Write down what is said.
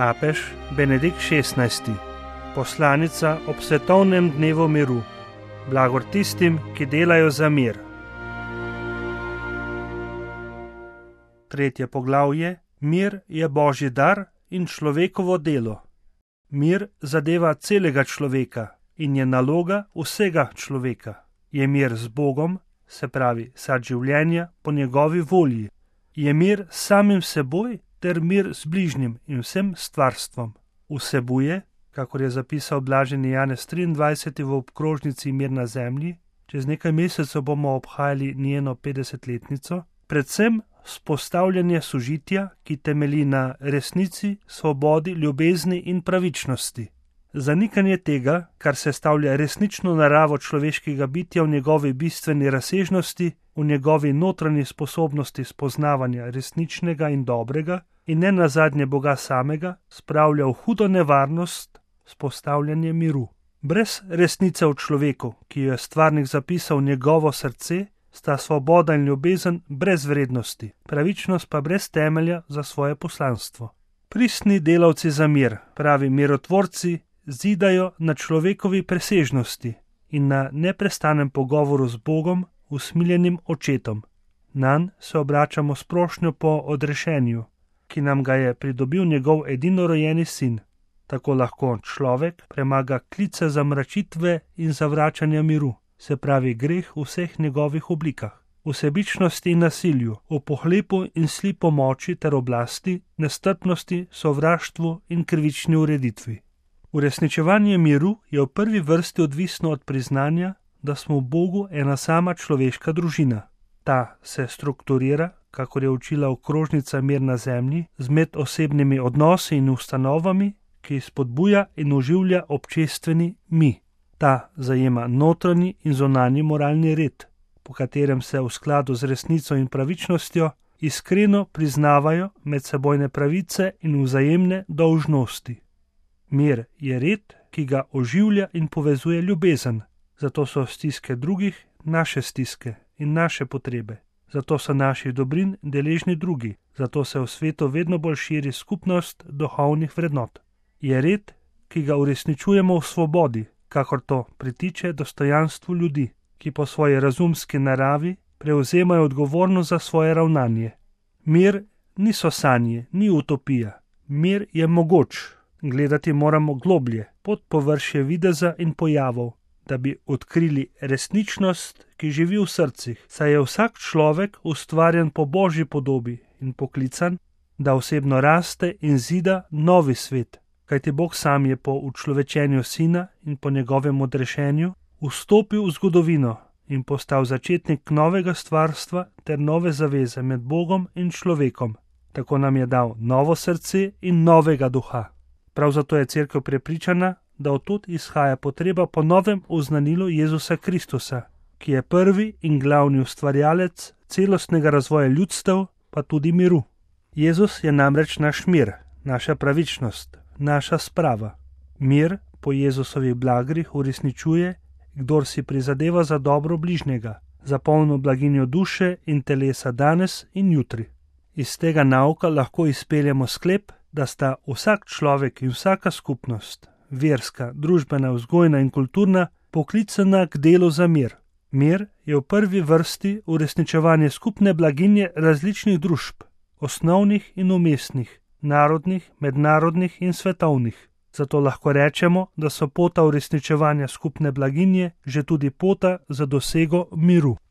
Papež Benedikt XVI. Poslanica ob svetovnem dnevu miru. Blagor tistim, ki delajo za mir. Tretje poglavje. Mir je Božji dar in človekovo delo. Mir zadeva celega človeka in je naloga vsega človeka. Je mir z Bogom, se pravi sad življenja po njegovi volji. Je mir s samim seboj ter mir z bližnjim in vsem stvarstvom. Vsebuje, kakor je zapisal blaženi Janez 23. v obkrožnici Mir na zemlji, čez nekaj mesecev bomo obhajali njeno 50-letnico, predvsem vzpostavljanje sožitja, ki temelji na resnici, svobodi, ljubezni in pravičnosti. Zanikanje tega, kar sestavlja resnično naravo človeškega bitja v njegovi bistveni razsežnosti, v njegovi notranji sposobnosti spoznavanja resničnega in dobrega in ne nazadnje Boga samega, spravlja v hudo nevarnost vzpostavljanje miru. Brez resnice v človeku, ki jo je stvarnik zapisal v njegovo srce, sta svoboda in ljubezen brez vrednosti, pravičnost pa brez temelja za svoje poslanstvo. Pristni delavci za mir, pravi mirotvorci, zidajo na človekovi presežnosti in na neprestanem pogovoru z Bogom, usmiljenim očetom. Nanj se obračamo s prošnjo po odrešenju, ki nam ga je pridobil njegov edinorojeni sin. Tako lahko človek premaga klice zamračitve in zavračanja miru, se pravi greh v vseh njegovih oblikah, v sebičnosti in nasilju, v pohlepu in slipu moči ter oblasti, nestrpnosti, sovraštvu in krivični ureditvi. Uresničevanje miru je v prvi vrsti odvisno od priznanja, da smo v Bogu ena sama človeška družina. Ta se strukturira, kakor je učila okrožnica Mir na zemlji, z medosebnimi odnosi in ustanovami, ki spodbuja in oživlja občestveni mi. Ta zajema notranji in zunanji moralni red, po katerem se v skladu z resnico in pravičnostjo iskreno priznavajo medsebojne pravice in vzajemne dolžnosti. Mir je red, ki ga oživlja in povezuje ljubezen, zato so stiske drugih naše stiske in naše potrebe, zato so naših dobrin deležni drugi, zato se v svetu vedno bolj širi skupnost duhovnih vrednot. Je red, ki ga uresničujemo v svobodi, kakor to pritiče dostojanstvu ljudi, ki po svoji razumski naravi prevzemajo odgovornost za svoje ravnanje. Mir niso sanje, ni utopija. Mir je mogoč. Gledati moramo globlje, pod površje videza in pojavov, da bi odkrili resničnost, ki živi v srcih, saj je vsak človek ustvarjen po Božji podobi in poklican, da osebno raste in zida novi svet, kajti Bog sam je po učlovečenju sina in po njegovem odrešenju vstopil v zgodovino in postal začetnik novega stvarstva ter nove zaveze med Bogom in človekom. Tako nam je dal novo srce in novega duha. Prav zato je Cerkev prepričana, da odtud izhaja potreba po novem oznanilu Jezusa Kristusa, ki je prvi in glavni ustvarjalec celostnega razvoja ljudstev, pa tudi miru. Jezus je namreč naš mir, naša pravičnost, naša sprava. Mir po Jezusovih blagrih uresničuje, kdor si prizadeva za dobro bližnjega, za polno blaginjo duše in telesa danes in jutri. Iz tega nauka lahko izpeljemo sklep, da sta vsak človek in vsaka skupnost, verska, družbena, vzgojna in kulturna, poklicana k delu za mir. Mir je v prvi vrsti uresničevanje skupne blaginje različnih družb, osnovnih in umestnih, narodnih, mednarodnih in svetovnih. Zato lahko rečemo, da so pota uresničevanja skupne blaginje že tudi pota za dosego miru.